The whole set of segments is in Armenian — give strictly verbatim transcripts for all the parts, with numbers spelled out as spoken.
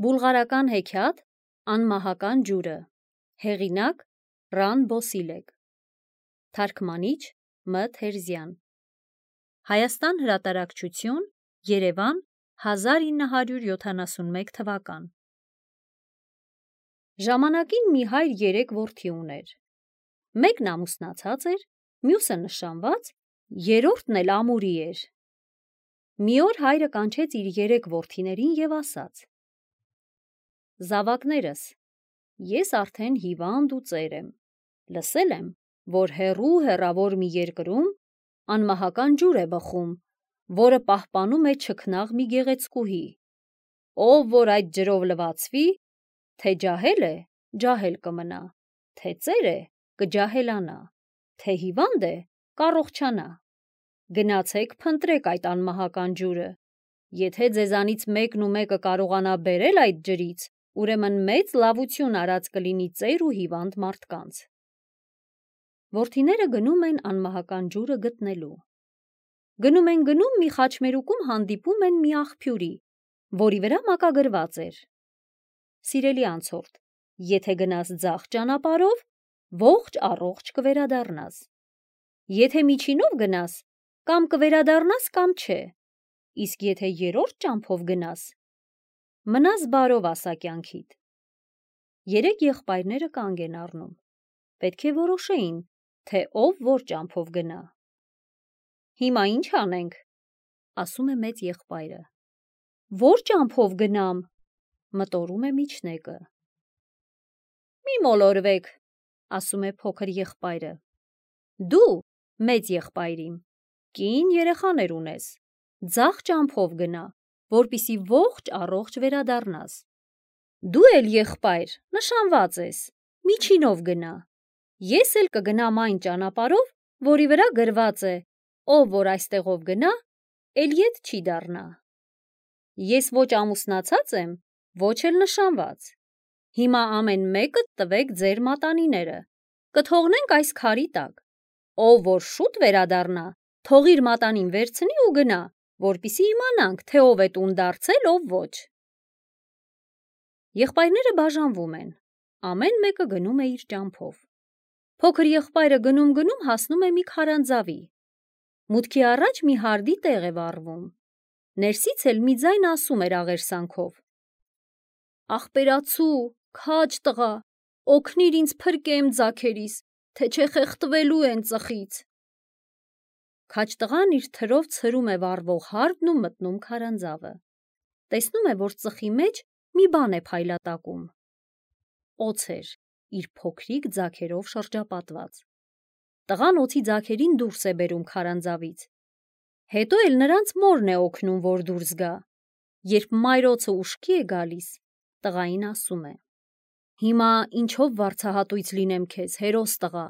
Բուլղարական հեքիաթ Անմահական ջուրը, հեղինակ Ռան Բոսիլեկ, թարգմանիչ Մ. Թերզյան, Հայաստան հրատարակչություն, Երևան, հազար ինը հարյուր յոթանասունմեկ թվական։ Ժամանակին մի հայր երեք որդի ուներ։ Մեկն ամուսնացած էր, մյուսը նշանված, երրորդն էլ ամուրի էր։ Մի օր հայրը կանչեց իր երեք որդիներին և ասաց. Զավակներս, ես արդեն հիվանդ ու ծեր եմ, լսել եմ, որ հեռու հեռավոր մի երկրում անմահական ջուր է բխում, որը պահպանում է չքնաղ մի գեղեցկուհի, ով որ այդ ջրով լվացվի, թե ջահել է, ջահել կմնա, թե ծեր է, կջահելանա, թե հիվանդ է, կառողջանա։ Գնացեք փնտրեք այդ անմահական ջուրը, եթե ձեզանից մեկն ու մեկը կարողանա բերել այդ ջրից, ուրեմն մեծ լավություն արած կլինի ծեր ու հիվանդ մարդկանց։ Որդիները գնում են անմահական ջուրը գտնելու։ Գնում են գնում մի խաչմերուկում հանդիպում են մի աղբյուրի, որի վրա մակագրված էր. Սիրելի անցորդ, եթե գնաս ձախ ճանապարհով, ողջ առողջ կվերադառնաս։ Եթե միջինով գնաս, կամ կվերադառնաս, կամ չէ, իսկ եթե երրորդ ճամփով գնաս, մնաս բարով ասա կյանքիդ։ Երեք եղբայրները կանգ են առնում, պետք է որոշեին, թե ով որ ճամփով գնա։ Հիմա ինչ անենք, ասում է մեծ եղբայրը։ Որ ճամփով գնամ, մտորում է միջնեկը։ Մի մոլորվեք, ասում է փոքր եղբայրը։ Դու, մեծ եղբայրիմ, կին երեխաներ ունես, ձախ ճամփով գնա, որպիսի ողջ առողջ վերադառնաս։ Դու էլ եղբայր, նշանված ես, միջինով գնա, ես էլ կգնամ այն ճանապարհով, որի վրա գրված է, ով որ այստեղով գնա, էլ ետ չի դառնա։ Ես ոչ ամուսնացած եմ, ոչ էլ նշանված։ Հիմա ամեն մեկը տվեք ձեր մատանիները, կթողնենք այս քարի տակ, ով որ շուտ վերադառնա, թող իր մատանին վերցնի ու գնա, որպիսի իմանանք, թե ով է տուն դարձել, ով ոչ։ Եղբայրները բաժանվում են, ամեն մեկը գնում է իր ճամփով։ Փոքր եղբայրը գնում-գնում հասնում է մի քարանձավի։ Մուտքի առաջ մի հարդի տեղ է վառվում։ Ներսից էլ մի ձայն ասում էր աղերսանքով. Ախպերացու, քաջ տղա, օգնիր ինձ փրկեմ ձագերիս, թե չէ խեղդվելու են ծխից։ Քաջ տղան իր թրով ցրում է վառվող հարդն ու մտնում քարանձավը։ Տեսնում է, որ ծխի մեջ մի բան է փայլատակում։ Օձ էր, իր փոքրիկ ձագերով շրջապատված։ Տղան օձի ձագերին դուրս է բերում քարանձավից։ Հետո էլ նրանց մորն է օգնում, որ դուրս գա։ Երբ մայր օձը ուշքի է գալիս, տղային ասում է. Հիմա ինչով վարձահատույց լինեմ քեզ, հերոս տղա։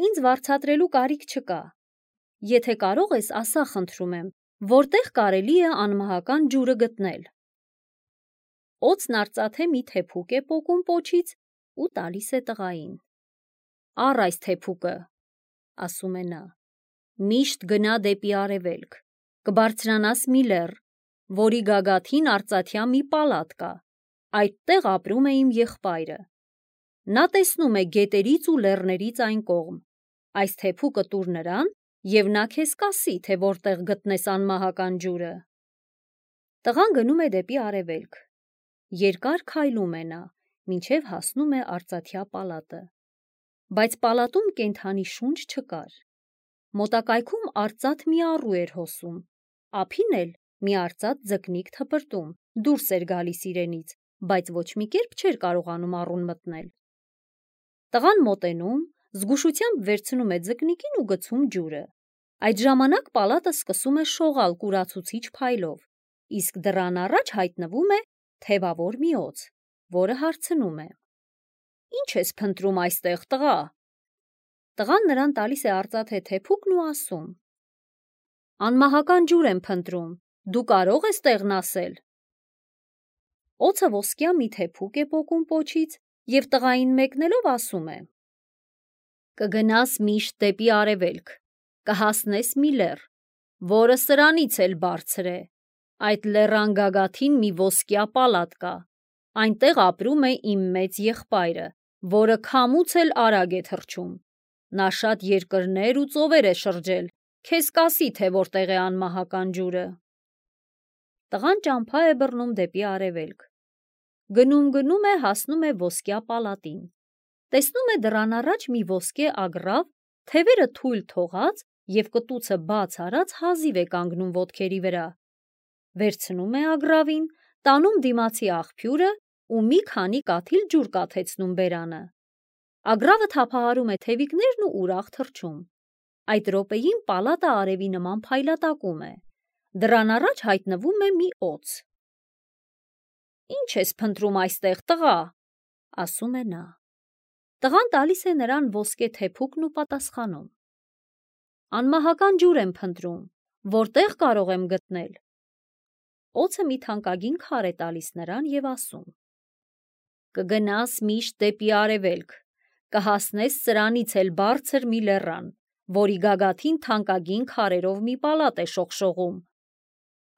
Ինձ վարձատրելու կարիք չկա։ Եթե կարող ես, ասա խնդրում եմ, որտեղ կարելի է անմահական ջուրը գտնել։ Օձն արծաթե մի թեփուկ է պոկում պոչից ու տալիս է տղային։ Առ այս թեփուկը, ասում է նա, միշտ գնա դեպի արևելք, կբարձրանաս մի լեռ, որի գագաթին արծաթյա մի պալատ կա, այդտեղ ապրում է իմ եղբայրը։ Նա տեսնում է գետերից ու լեռներից այն կողմ, այս թեփուկը տուր նրան, և նա քեզ կասի, թե որտեղ գտնես անմահական ջուրը։ Տղան գնում է դեպի արևելք։ Երկար քայլում է նա, մինչև հասնում է արծաթյա պալատը։ Բայց պալատում կենդանի շունչ չկար։ Մոտակայքում արծաթ մի առու էր հոսում, ափին էլ մի արծաթ ձկնիկ թպրտում, դուրս էր գալիս իրենից, բայց ոչ մի կերպ չէր կարողանում առուն մտնել։ Տղան մոտենում, զգուշությամբ վերցնում է ձկնիկին ու գցում ջուրը։ Այդ ժամանակ պալատը սկսում է շողալ կուրացուցիչ փայլով, իսկ դռան առաջ հայտնվում է թևավոր մի օձ, որը հարցնում է. Ինչ ես փնտրում այստեղ, տղա։ Տղան նրան տալիս է արծաթե թեփուկն ու ասում. Անմահական ջուր եմ փնտրում, դու կարող ես տեղն ասել։ Օձը ոսկյա մի թեփուկ է պոկում պոչից և տղային մեկնելով ասում է. Կգնաս միշտ դեպի արևելք, կհասնես մի լեռ, որը սրանից էլ բարձր է, Այդ լեռան գագաթին մի ոսկյա պալատ կա, այնտեղ ապրում է իմ մեծ եղբայրը, որը քամուց էլ արագ է թռչում, նա շատ երկրներ ու ծովեր է շրջել, քեզ կասի, թե որտեղ է անմահական ջուրը։ Տղան ճամփա է բռնում դեպի արևելք, գնում-գնում է, հասնում է ոսկյա պալատին, տեսնում է դռան առաջ մի ոսկե ագռավ, թևերը թույլ թողած և կտուցը բաց արած հազիվ է կանգնում ոտքերի վրա, վերցնում է ագռավին, տանում դիմացի աղբյուրը ու մի քանի կաթիլ ջուր կաթեցնում բերանը։ Ագռավը թափահարում է թևիկներն ու ուրախ թռչում։ Այդ րոպեին պալատը արևի նման փայլատակում է, դռան առաջ հայտնվում է մի օձ։ «Ինչ ես փնտրում այստեղ, տղա», ասում է նա։ Տղան տալիս է նրան ոսկե թեփուկն ու պատասխանում. «Անմահական ջուր եմ փնտրում, որտեղ կարող եմ գտնել»։ Օձը մի թանկագին քար է տալիս նրան և ասում. «Կգնաս միշտ դեպի արևելք, կհասնես սրանից էլ բարձր մի լեռան, որի գագաթին թանկագին քարերով մի պալատ է շողշողում։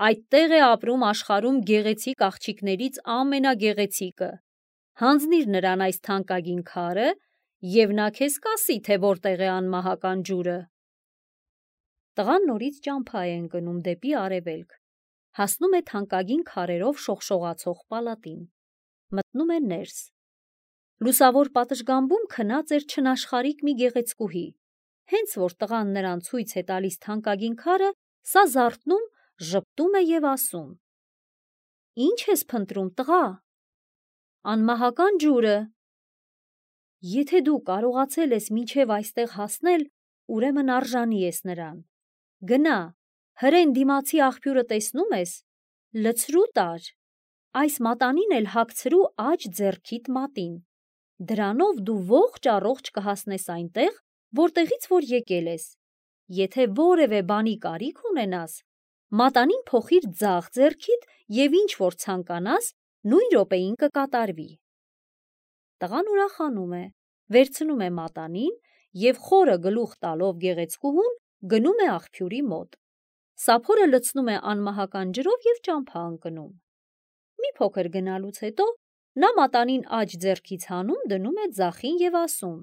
Այդտեղ է ապրում աշխարհում գեղեցիկ աղջիկներից ամենագեղեցիկը։ Հանձնիր նրան այս թանկագին քարը, և նա քեզ կասի, թե որտեղ է անմահական ջուրը»։ Տղան նորից ճամփա է ընկնում դեպի արևելք, հասնում է թանկագին քարերով շողշողացող պալատին, մտնում է ներս։ Լուսավոր պատշգամբում քնած էր չնաշխարհիկ մի գեղեցկուհի, հենց որ տղան նրան ցույց է տալիս թանկագին քարը, սա զարթնում, ժպտում է և ասում. «Ինչ ես փնտրում, տղա»։ «Անմահական ջուրը»։ «Եթե դու կարողացել ես մինչև այստեղ հասնել, ուրեմն արժանի ես նրան։ Գնա, հրեն դիմացի աղբյուրը տեսնում ես, լցրու տար, այս մատանին էլ հագցրու աջ ձեռքիդ մատին, դրանով դու ողջ առողջ կհասնես այնտեղ, որտեղից որ եկել ես, եթե որևէ բանի կարիք ունենաս, մատանին փոխիր ձախ ձեռքիդ և ինչ որ ցանկանաս, նույն րոպեին կկատարվի»։ Տղան ուրախանում է, վերցնում է մատանին և խորը գլուխ տալով գեղեցկուհուն գնում է աղբյուրի մոտ, սափորը լցնում է անմահական ջրով և ճամփա ընկնում։ Մի փոքր գնալուց հետո նա մատանին աջ ձեռքից հանում, դնում է ձախին և ասում.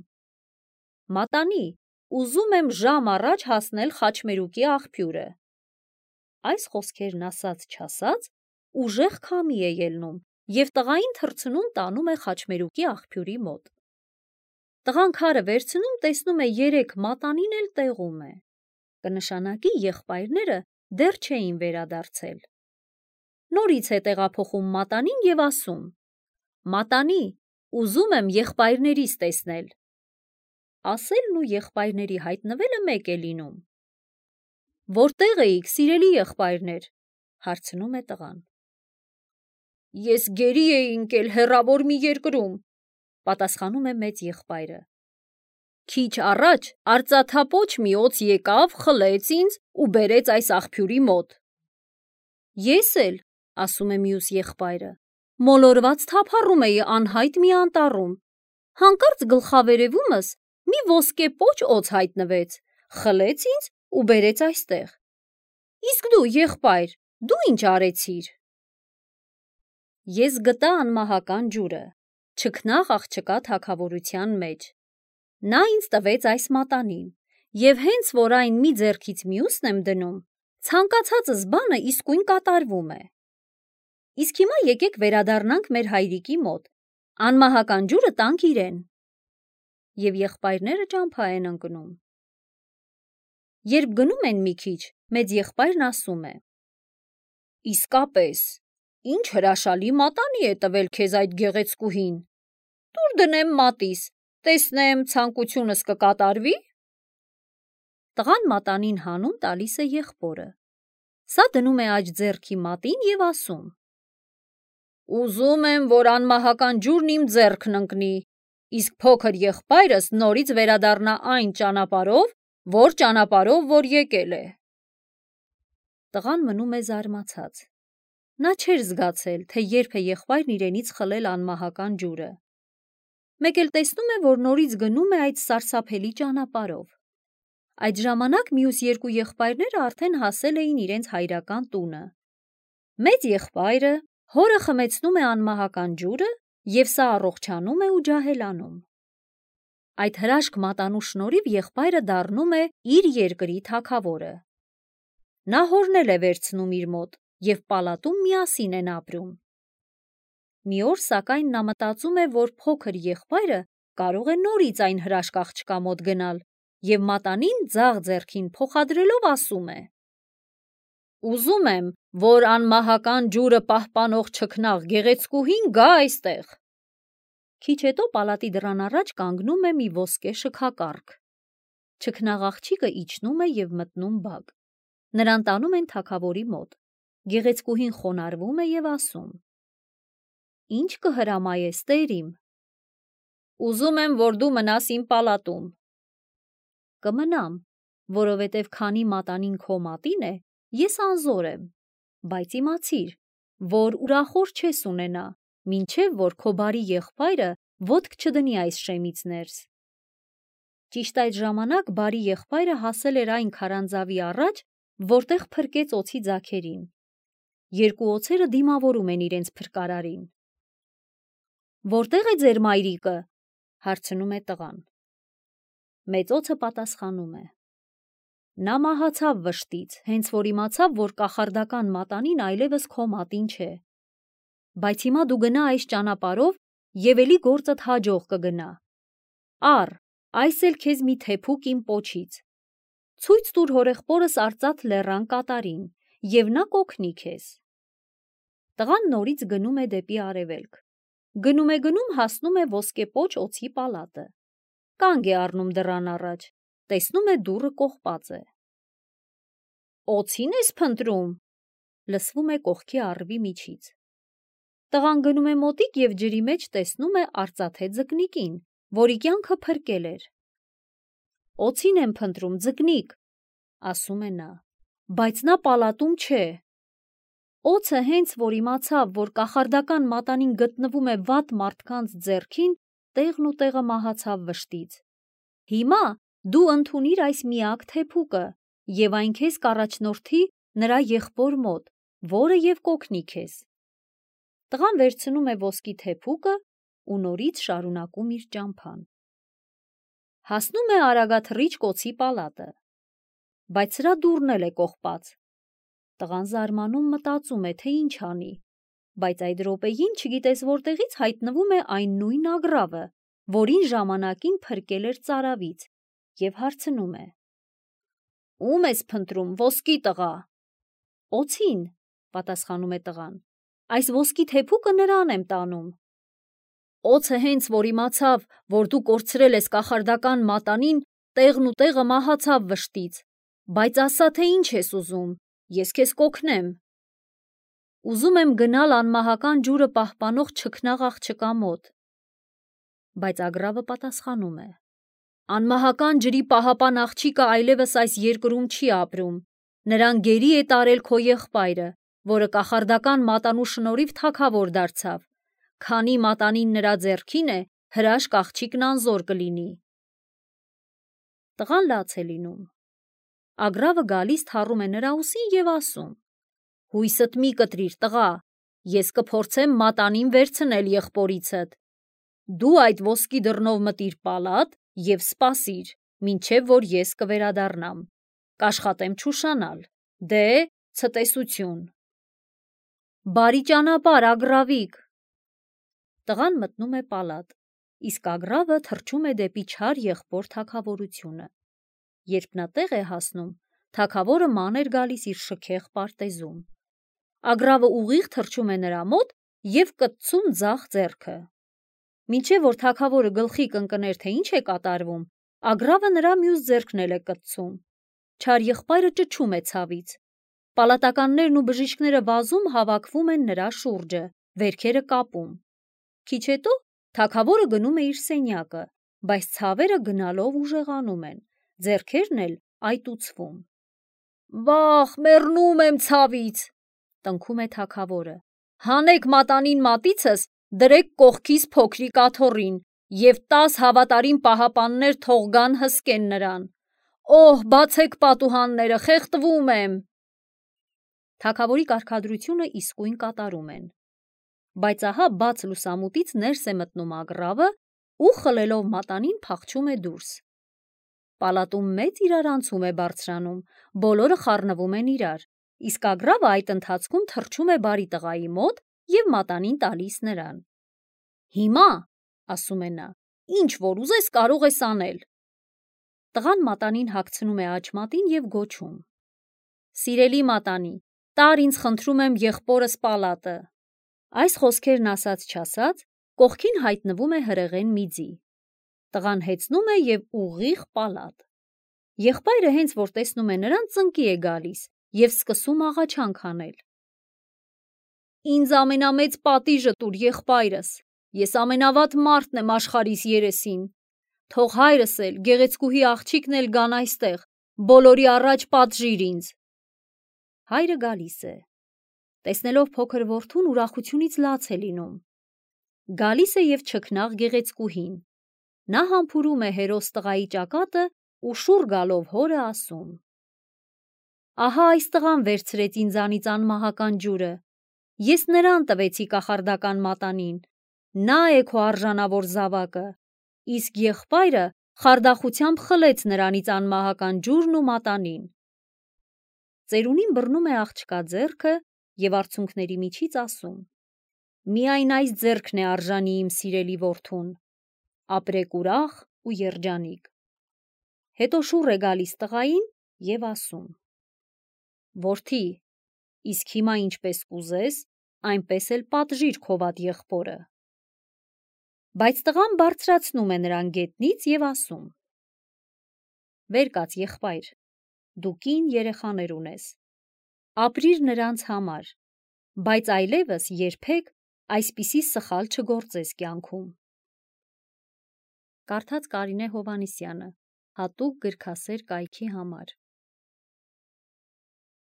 «Մատանի, ուզում եմ ժամ առաջ հասնել խաչմերուկի աղբյուրը»։ Այս խոսքերն ասաց-չասաց, ուժեղ քամի է ելնում և տղային թռցնում տանում է խաչմերուկի աղբյուրի մոտ։ Տղան քարը վերցնում, տեսնում է երեկ մատանին էլ տեղում է, կնշանակի եղբայրները դեռ չէին վերադարձել։ Նորից է տեղափոխում մատանին և ասում. «Մատանի, ուզում եմ եղբայրներիս տեսնել»։ Ասելն ու եղբայրների հայտնվելը մեկ է լինում։ «Որտեղ էիք, սիրելի եղբայրներ», հարցնում է տղան։ «Ես գերի էի ընկել հեռավոր մի երկրում», պատասխանում է մեծ եղբայրը։ «Քիչ առաջ արծաթապոչ մի օձ եկավ, խլեց ինձ ու բերեց այս աղբյուրի մոտ»։ «Ես էլ», ասում է մյուս եղբայրը, «մոլորված թափառում էի անհայտ մի անտառում, հանկարծ գլխավերևումս մի ոսկե պոչ օձ հայտնվեց, խլեց ինձ ու բերեց այստեղ։ Իսկ դու, եղբայր, դու ինչ արեցիր»։ Ես գտա անմահական ջուրը, չքնաղ աղջկա թագավորության մեջ։ Նա ինձ տվեց այս մատանին, և հենց որ այն մի ձեռքից մյուսն եմ դնում, ցանկացածս բանը իսկույն կատարվում է։ Իսկ հիմա եկեք վերադառնանք մեր հայրիկի մոտ, անմահական ջուրը տանք իրեն։ Եվ եղբայրները ճամփա են ընկնում։ Երբ գնում են մի քիչ, մեծ եղբայրն ասում է. «Իսկապես, ինչ հրաշալի մատանի է տվել քեզ այդ գեղեցկուհին։ Տուր դնեմ մատիս, տեսնեմ ցանկությունս կկատարվի»։ Տղան մատանին հանում տալիս է եղբորը։ Սա դնում է աջ ձեռքի մատին և ասում. «Ուզում եմ, որ անմահական ջուրն իմ ձեռքն ընկնի, իսկ փոքր եղբայրս նորից վերադառնա այն ճանապարհով, որ ճանապարհով որ եկել է»։ Տղան մնում է զարմացած։ Նա չէր զգացել, թե երբ է եղբայրն իրենից խլել անմահական ջուրը։ Մեկ էլ տեսնում է, որ նորից գնում է այդ սարսափելի ճանապարհով։ Այդ ժամանակ մյուս երկու եղբայրները արդեն հասել էին իրենց հայրական տունը։ Մեծ եղբայրը հորը խմեցնում է անմահական ջուրը և սա առողջանում է ու ջահելանում։ Այդ հրաշք մատանու շնորհիվ եղբայրը դառնում է իր երկրի թագավորը։ Նա հորն էլ է վերցնում իր մոտ և պալատում միասին են ապրում։ Մի օր սակայն նա մտածում է, որ փոքր եղբայրը կարող է նորից այն հրաշք աղջկա մոտ գնալ և մատանին ձախ ձեռքին փոխադրելով ասում է. «Ուզում եմ, որ անմահական ջուրը պահպանող չքնաղ գեղեցկուհին գա այստեղ»։ Քիչ հետո պալատի դռան առաջ կանգնում է մի ոսկե շքակառք։ Չքնաղ աղջիկը իջնում է և մտնում բակ։ Նրան տանում են թագավորի մոտ։ Գեղեցկուհին խոնարհվում է և ասում. «Ինչ կհրամայես, տեր իմ»։ «Ուզում եմ, որ դու մնաս իմ պալատում»։ «Կմնամ, որովհետև քանի մատանին քո մատին է, ես անզոր եմ, բայց իմացիր, որ ուրախոր չես ունենա, մինչև որ քո բարի եղբայրը ոտք չդնի այս շեմից ներս»։ Ճիշտ այդ ժամանակ բարի եղբայրը հասել էր այն քարանձավի առաջ, որտեղ փրկեց օձի ձագերին։ Երկու օձերը դիմավորում են իրենց փրկարարին։ «Որտե՞ղ է ձեր մայրիկը», հարցնում է տղան։ Մեծ օձը պատասխանում է. «Նա մահացավ վշտից, հենց որ իմացավ, որ կախարդական մատանին այլևս քո մատին չէ։ Բայց հիմա դու գնա այս ճանապարհով և էլի գործդ հաջող կգնա։ Առ, այս էլ քեզ մի թեփուկ իմ պոչից։ Ցույց տուր հորեղբորս արծաթ լեռան կատարին, և նա կօգնի քեզ»։ Տղան նորից գնում է դեպի արևելք։ Գնում է գնում հասնում է ոսկե պոչ օձի պալատը։ Կանգ է առնում դռան առաջ, տեսնում է դուռը կողպած է։ «Օձի՞ն ես փնտրում», լսվում է կողքի առվի միջից։ Տղան գնում է մոտիկ և ջրի մեջ տեսնում է արծաթե ձկնիկին, որի կյանքը փրկել էր։ «Օձին եմ փնտրում, ձկնիկ», ասում է նա, «բայց նա պալատում չէ»։ Օձը հենց որ իմացավ, որ կախարդական մատանին գտնվում է վատ մարդկանց ձեռքին, տեղն ու տեղը մահացավ վշտից։ Հիմա դու ընդունիր այս միակ թեփուկը և այն քեզ կառաջնորդի նրա եղբոր մոտ, որը և կօգնի քեզ։ Տղան վերցնում է ոսկի թեփուկը ու նորից շարունակում իր ճամփան։ Հասնում է արագաթռիչք օձի պալատը, բայց սրա դուռն էլ է կողպած։ Տղան զարմանում մտածում է, թե ինչ անի, բայց այդ րոպեին չգիտես որտեղից հայտնվում է այն նույն ագռավը, որին ժամանակին փրկել էր ծարավից, և հարցնում է. «Ո՞ւմ ես փնտրում, ոսկի տղա»։ «Օձին», պատասխանում է տղան, «այս ոսկի թեփուկը նրան եմ տանում»։ Օձը հենց որ իմացավ, որ դու կորցրել ես կախարդական մատանին, տեղն ու տեղը մահացավ վշտից, բայց ասա, թե ինչ ես ուզում, ես քեզ կօգնեմ։ «Ուզում եմ գնալ անմահական ջուրը պահպանող չքնաղ աղջկա մոտ»։ Բայց ագռավը պատասխանում է. «Անմահական ջրի պահապան աղջիկը այլևս այս երկրում չի ապրում, նրան գերի է տարել քո եղբայրը, որը կախարդական մատանու շնորհիվ թագավոր դարձավ, քանի մատանին նրա ձեռքին է, հրաշք աղջիկն անզոր կլինի»։ Տղան լաց է լինում։ Ագռավը գալիս թառում է նրա ուսին և ասում. «Հույսդ մի կտրիր, տղա, ես կփորձեմ մատանին վերցնել եղբորիցդ։ Դու այդ ոսկի դռնով մտիր պալատ և սպասիր, մինչև որ ես կվերադառնամ։ Կաշխատեմ չուշանալ։ Դե, ցտեսություն»։ «Բարի ճանապարհ, ագռավիկ»։ Տղան մտնում է պալատ, իսկ ագռավը թռչում է դեպի չար եղբոր թագավորությունը։ Երբ նա տեղ է հասնում, թագավորը ման էր գալիս իր շքեղ պարտեզում։ Ագռավը ուղիղ թռչում է նրա մոտ և կտցում ձախ ձեռքը։ Մինչև որ թագավորը գլխի կընկներ, թե ինչ է կատարվում, ագռավը նրա մյուս ձեռքն էլ է կտցում։ Չար եղբայրը ճչում է ցավից։ Պալատականներն ու բժիշկները վազում հավաքվում են նրա շուրջը, վերքերը կապում։ Քիչ հետո թագավորը գնում է իր սենյակը, բայց ցավերը գնալով ուժեղանում են, ձեռքերն էլ այտուցվում։ «Վախ, մեռնում եմ ցավից», տնքում է թագավորը։ «Հանեք մատանին մատիցս, դրեք կողքիս փոքրիկ աթոռին և տաս հավատարիմ պահապաններ թող գան հսկեն նրան։ Օհ, բացեք պատուհանները, խեղդվում եմ»։ Թագավորի կարգադրությունը իսկույն կատարում են։ Բայց ահա բաց լուսամուտից ներս է մտնում ագռավը ու խլելով մատանին փախչում է դուրս։ Պալատում մեծ իրարանցում է բարձրանում, բոլորը խառնվում են իրար, իսկ ագռավը այդ ընթացքում թռչում է բարի տղայի մոտ և մատանին տալիս նրան։ «Հիմա, ասում է նա, ինչ որ ուզես կարող ես անել»։ Տղան մատանին հագցնում է աջ մատին և գոչում. «Սիրելի մատանի, տար ինձ խնդրում եմ եղբորս պալատը»։ Այս խոսքերն ասաց-չասաց, կողքին հայտնվում է հրեղեն մի ձի։ Տղան հեծնում է և ուղիղ պալատ։ Եղբայրը հենց որ տեսնում է նրան, ծնկի է գալիս և սկսում աղաչանք անել. «Ինձ ամենամեծ պատիժը տուր, եղբայրս, ես ամենավատ մարդն եմ աշխարհիս երեսին, թող հայրս էլ, գեղեցկուհի աղջիկն էլ գան այստեղ, բոլորի առաջ պատժիր ինձ»։ Հայրը գալիս է։ Տեսնելով փոքր որդուն, ուրախությունից լաց է լինում։ Գալիս է և չքնաղ գեղեցկուհին։ Նա համբուրում է հերոս տղայի ճակատը ու շուռ գալով հորը ասում. «Ահա այս տղան վերցրեց ինձանից անմահական ջուրը, ես նրան տվեցի կախարդական մատանին, նա է քո արժանավոր զավակը, իսկ եղբայրը խարդախությամբ խլեց նրանից անմահական ջուրն ու մատանին»։ Ծերունին բռնում է աղջկա ձեռքը և արցունքների միջից ասում. «Միայն այս ձեռքն է արժանի իմ սիրելի որդուն, ապրեք ուրախ ու երջանիկ»։ Հետո շուռ է գալիս տղային և ասում. «Որդի, իսկ հիմա ինչպես կուզես, այնպես էլ պատժիր քո վատ եղբորը»։ Բայց տղան բարձրացնում է նրան գետնից և ասում. «Վեր կաց, եղբայր, դու կին երեխաներ ունես, ապրիր նրանց համար, բայց այլևս երբեք այսպիսի սխալ չգործես կյանքում»։ Կարդաց Կարինե Հովհաննիսյանը, հատուկ գրքասեր կայքի համար։